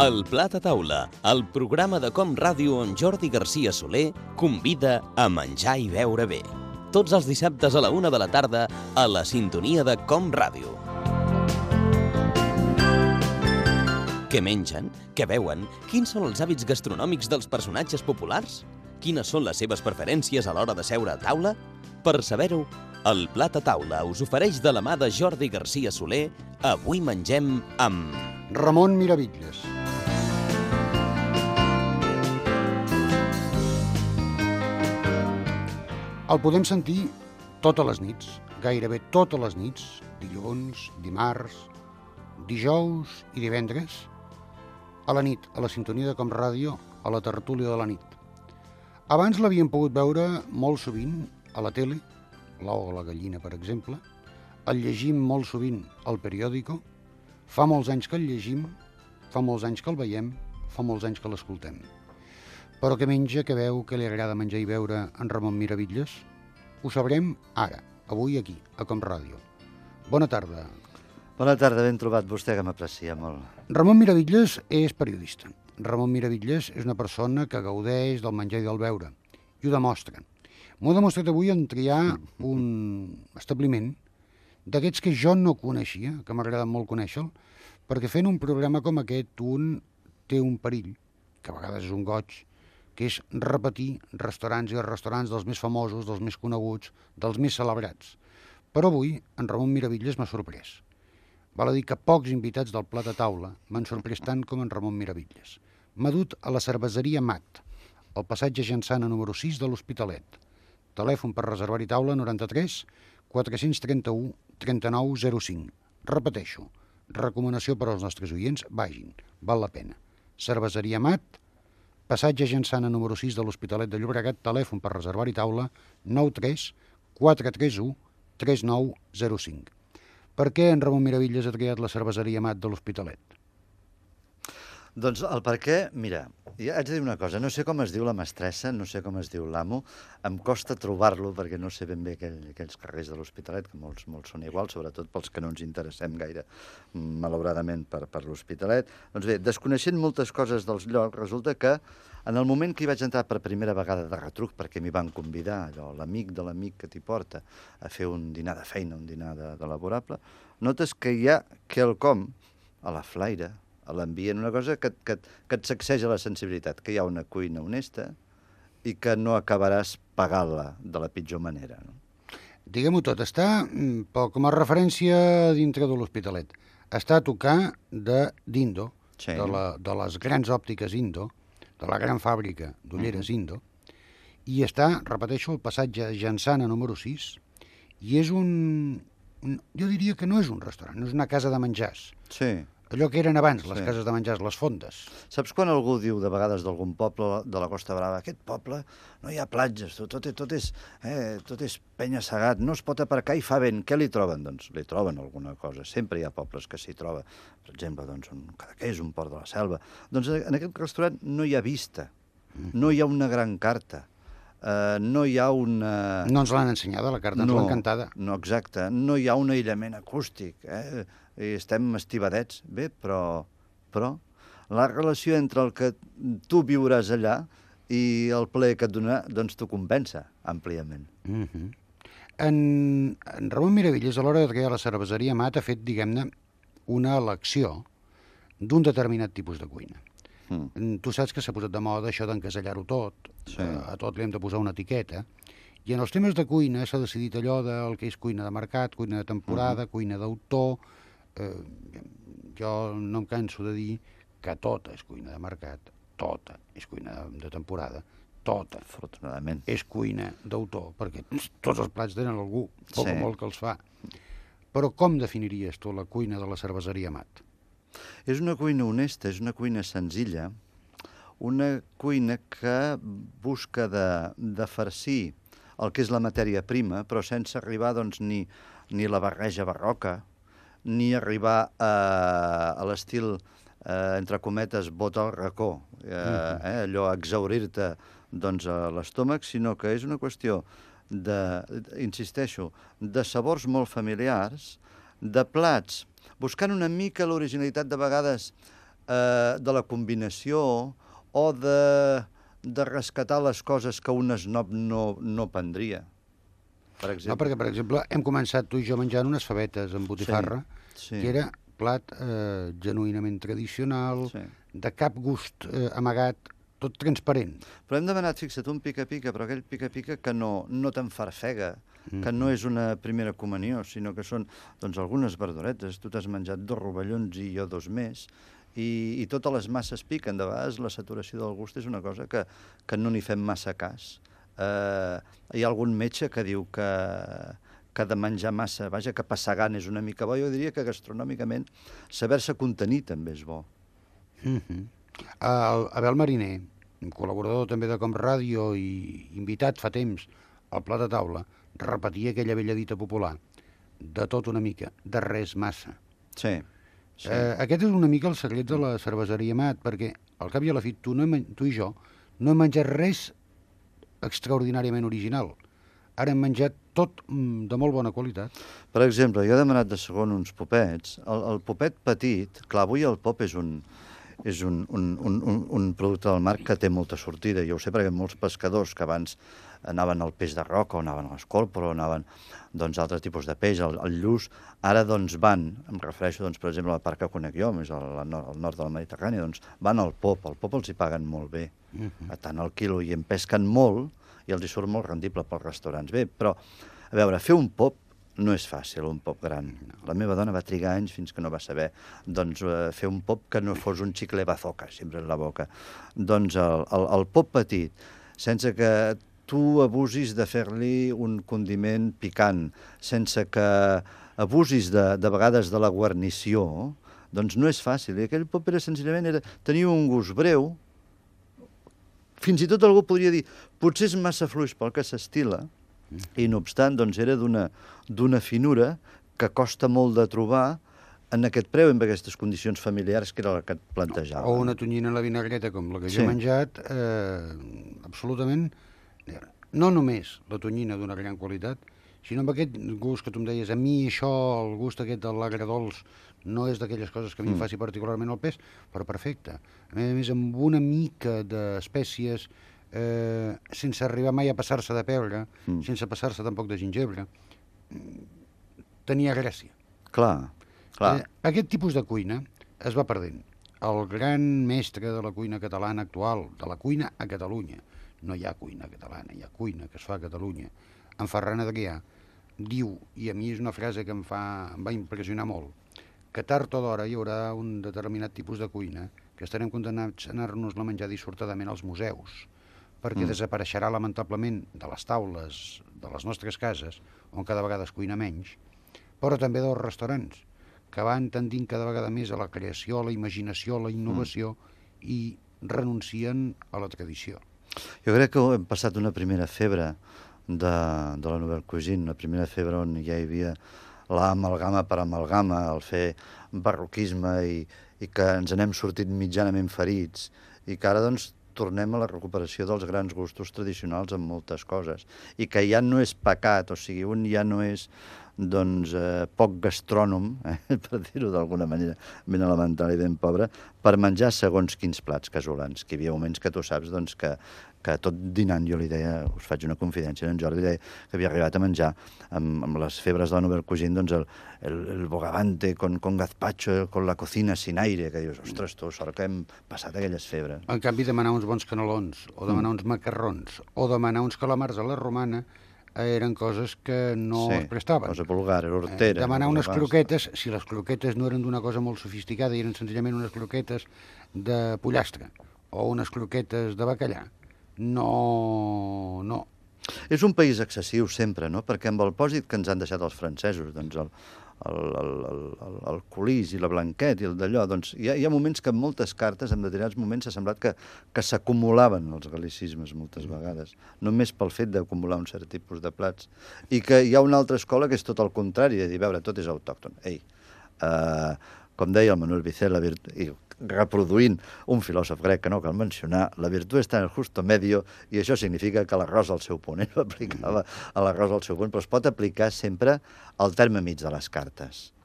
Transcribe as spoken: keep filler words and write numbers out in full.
El Plat a Taula, el programa de Com Ràdio on Jordi Garcia Soler convida a menjar i beure bé. Tots els dissabtes a la una de la tarda a la sintonia de Com Ràdio. Què mengen? Què beuen? Quins són els hàbits gastronòmics dels personatges populars? Quines són les seves preferències a l'hora de seure a taula? Per saber-ho, el Plat a Taula us ofereix de la mà de Jordi Garcia Soler. Avui mengem amb... Ramon Miravitlles. El podem sentir totes les nits, gairebé totes les nits, dilluns, dimarts, dijous i divendres, a la nit, a la sintonia de Com Ràdio, a la tertúlia de la nit. Abans l'havíem pogut veure molt sovint a la tele, l'ou o la gallina, per exemple, el llegim molt sovint al periòdico, fa molts anys que el llegim, fa molts anys que el veiem, fa molts anys que l'escoltem. Però què menja, què veu, què li agrada menjar i beure en Ramon Miravitlles? Ho sabrem ara, avui aquí, a Com Ràdio. Bona tarda. Bona tarda, ben trobat vostè, que m'aprecia molt. Ramon Miravitlles és periodista. Ramon Miravitlles és una persona que gaudeix del menjar i del beure, i ho demostra. M'ho ha demostrat avui en triar un establiment d'aquests que jo no coneixia, que m'agrada molt conèixer-lo, perquè fent un programa com aquest un té un perill, que a vegades és un goig, que és repetir restaurants i restaurants dels més famosos, dels més coneguts, dels més celebrats. Però avui en Ramon Miravitlles m'ha sorprès. Val a dir que pocs invitats del Plat a Taula m'han sorprès tant com en Ramon Miravitlles. M'ha dut a la cerveseria Mat, al passatge Gensana número sis de l'Hospitalet. Telèfon per reservar-hi taula noranta-tres quatre-cents trenta-u trenta-nou zero cinc. Repeteixo, recomanació per als nostres oients, vagin, val la pena. Cerveseria Mat, passatge Gensana número sis de l'Hospitalet de Llobregat, telèfon per reservar-hi taula nou tres quatre tres u tres nou zero cinc. Per què en Ramon Miravitlles ha triat la cerveseria Mat de l'Hospitalet? Doncs el per què, mira, ja haig de dir una cosa, no sé com es diu la mestressa, no sé com es diu l'amo, em costa trobar-lo perquè no sé ben bé aquell, aquells carrers de l'Hospitalet, que molts, molts són iguals, sobretot pels que no ens interessem gaire, malauradament, per, per l'Hospitalet. Doncs bé, desconeixent moltes coses dels llocs, resulta que en el moment que hi vaig entrar per primera vegada de retruc, perquè m'hi van convidar, allò, l'amic de l'amic que t'hi porta a fer un dinar de feina, un dinar de, de laborable, notes que hi ha quelcom a la flaire, a l'ambient, una cosa que, que, que et sacseja la sensibilitat, que hi ha una cuina honesta i que no acabaràs pagant-la de la pitjor manera. No? Diguem-ho tot, està, com a referència dintre de l'Hospitalet, està a tocar de d'Indo, sí. de, la, de les grans òptiques Indo, de la gran fàbrica d'ulleres uh-huh. Indo, i està, repeteixo, el passatge Gensana número sis, i és un, un... Jo diria que no és un restaurant, no és una casa de menjars. Sí. Allò que eren abans, les sí. cases de menjars, les fondes. Saps quan algú diu de vegades d'algun poble de la Costa Brava, aquest poble no hi ha platges, tot, tot, tot és, eh, tot és penya-segat, no es pot aparcar i fa vent. Què li troben? Doncs li troben alguna cosa. Sempre hi ha pobles que s'hi troba. Per exemple, doncs, un Cadaqués, un Port de la Selva. Doncs en aquest restaurant no hi ha vista, no hi ha una gran carta. Uh, no hi ha una... No ens l'han ensenyada, la carta, ens no, l'han cantada. No, exacte. No hi ha un aïllament acústic, eh? I estem estibadets. Bé, però, però la relació entre el que tu viuràs allà i el plaer que et donarà, doncs t'ho compensa àmpliament. Mm-hmm. En, en Ramon Miravitlles, a l'hora de triar la cerveseria Mat, ha fet, diguem-ne, una elecció d'un determinat tipus de cuina. Mm. Tu saps que s'ha posat de moda això d'encasellar-ho tot, sí. A tot li hem de posar una etiqueta, i en els temes de cuina s'ha decidit allò del que és cuina de mercat, cuina de temporada, uh-huh. cuina d'autor. Eh, jo no em canso de dir que tota és cuina de mercat, tota és cuina de, de temporada, tota afortunadament és cuina d'autor, perquè tots els plats tenen algú, poc sí. o molt que els fa. Però com definiries tu la cuina de la cerveseria Mat? És una cuina honesta, és una cuina senzilla, una cuina que busca de, de farcir el que és la matèria prima, però sense arribar doncs, ni, ni la barreja barroca, ni arribar a, a l'estil, eh, entre cometes, bota al racó, eh, eh, allò, exaurir-te doncs, a l'estómac, sinó que és una qüestió de, insisteixo, de sabors molt familiars, de plats, buscant una mica l'originalitat de vegades eh, de la combinació o de, de rescatar les coses que un esnob no, no prendria. Per exemple. No, perquè, per exemple, hem començat tu i jo menjant unes favetes amb botifarra, Sí, sí. que era plat eh, genuïnament tradicional, Sí. de cap gust eh, amagat, tot transparent. Però hem demanat, fixa't, un pica-pica, però aquell pica-pica que no, no t'enfarfega, que no és una primera comunió, sinó que són doncs, algunes verduretes. Tu t'has menjat dos rovellons i jo dos més, i, i totes les masses piquen. De vegades la saturació del gust és una cosa que, que no n'hi fem massa cas. Eh, hi ha algun metge que diu que, que de menjar massa, vaja, que passar gana és una mica bo. Jo diria que gastronòmicament saber-se contenir també és bo. Mm -hmm. El Abel Mariner, col·laborador també de Com Ràdio i invitat fa temps al Plat de Taula, repetia aquella vella dita popular, de tot una mica, de res massa. Sí. sí. Eh, aquest és una mica el secret de la cerveseria Mat, perquè al cap i a la fi tu, no hem, tu i jo no hem menjat res extraordinàriament original. Ara hem menjat tot mm, de molt bona qualitat. Per exemple, jo he demanat de segon uns popets. El, el popet petit, clar, avui el pop és un, és un, un, un, un, un producte del mar que té molta sortida. Jo ho sé perquè molts pescadors que abans anaven al peix de roca, o anaven a l'escorpor, o anaven doncs, a altres tipus de peix, al, al lluç, ara doncs, van, em refereixo, doncs, per exemple, al parc que conec jo, més al, al, nord, al nord del Mediterrani, doncs, van al pop. Al pop els hi paguen molt bé, Uh -huh. a tant al quilo, i en pesquen molt, i els hi surt molt rendible pels restaurants. Bé, però, a veure, fer un pop no és fàcil, un pop gran. La meva dona va trigar anys fins que no va saber doncs, eh, fer un pop que no fos un xicle bazooka, sempre en la boca. Doncs el, el, el pop petit, sense que tu abusis de fer-li un condiment picant, sense que abusis de, de vegades de la guarnició, doncs no és fàcil. I aquell pop era senzillament, era, tenia un gust breu, fins i tot algú podria dir, potser és massa fluix pel que s'estila, i no obstant, doncs era d'una finura que costa molt de trobar en aquest preu, en aquestes condicions familiars que era la que et plantejava. O una tonyina a la vinagreta, com la que Sí. jo he menjat, eh, absolutament, no només la tonyina d'una gran qualitat, sinó amb aquest gust que tu em deies, a mi això, el gust aquest de l'agredolç, no és d'aquelles coses que a mi em faci particularment el pes, però perfecte. A més a més, amb una mica d'espècies, eh, sense arribar mai a passar-se de pebre, Mm. sense passar-se tampoc de gingebre, tenia gràcia. Clar, clar. Eh, aquest tipus de cuina es va perdent. El gran mestre de la cuina catalana actual, de la cuina a Catalunya, no hi ha cuina catalana, hi ha cuina que es fa a Catalunya, en Ferran Adrià, diu, i a mi és una frase que em, fa, em va impressionar molt, que tard o d'hora hi haurà un determinat tipus de cuina que estarem condemnats a anar-nos-la a menjar dissortadament als museus, perquè mm. desapareixerà lamentablement de les taules de les nostres cases, on cada vegada es cuina menys, però també dels restaurants, que van tendint cada vegada més a la creació, a la imaginació, a la innovació, mm. i renuncien a la tradició. Jo crec que hem passat una primera febre de, de la Nouvelle Cuisine, una primera febre on ja hi havia l'amalgama per amalgama, el fer barroquisme i, i que ens n'hem sortit mitjanament ferits i que ara doncs tornem a la recuperació dels grans gustos tradicionals en moltes coses i que ja no és pecat, o sigui, un ja no és doncs, eh, poc gastrònom, eh, per dir-ho d'alguna manera ben elemental i ben pobre, per menjar segons quins plats casolans, que hi havia moments que tu saps doncs, que, que tot dinant jo li deia, us faig una confidència, en Jordi li deia que havia arribat a menjar amb, amb les febres de la Nouvelle Cuisine doncs el, el, el bogavante con, con gazpacho, con la cocina sin aire, que dius, ostres, tu, sort que hem passat aquelles febres. En canvi, demanar uns bons canelons, o demanar mm. uns macarrons, o demanar uns calamars a la romana, eren coses que no sí, es prestaven. cosa vulgar, era hortera. Eh, demanar unes croquetes, si les croquetes no eren d'una cosa molt sofisticada i eren senzillament unes croquetes de pollastre o unes croquetes de bacallà, no... no. És un país excessiu sempre, no? Perquè amb el pòsit que ens han deixat els francesos, doncs el, el, el, el, el colís i la blanquet i el d'allò, doncs hi ha, hi ha moments que en moltes cartes, en determinats moments, s'ha semblat que, que s'acumulaven els gal·licismes moltes vegades, només pel fet d'acumular un cert tipus de plats. I que hi ha una altra escola que és tot el contrari, de dir, veure, tot és autòcton. Ei, uh, com deia el Manuel Vicent, la virtut, i reproduint un filòsof grec que no cal mencionar, la virtut està en el justo medio, i això significa que l'arròs al seu punt. Ell aplicava a l'arròs al seu punt, però es pot aplicar sempre al terme mig de les cartes.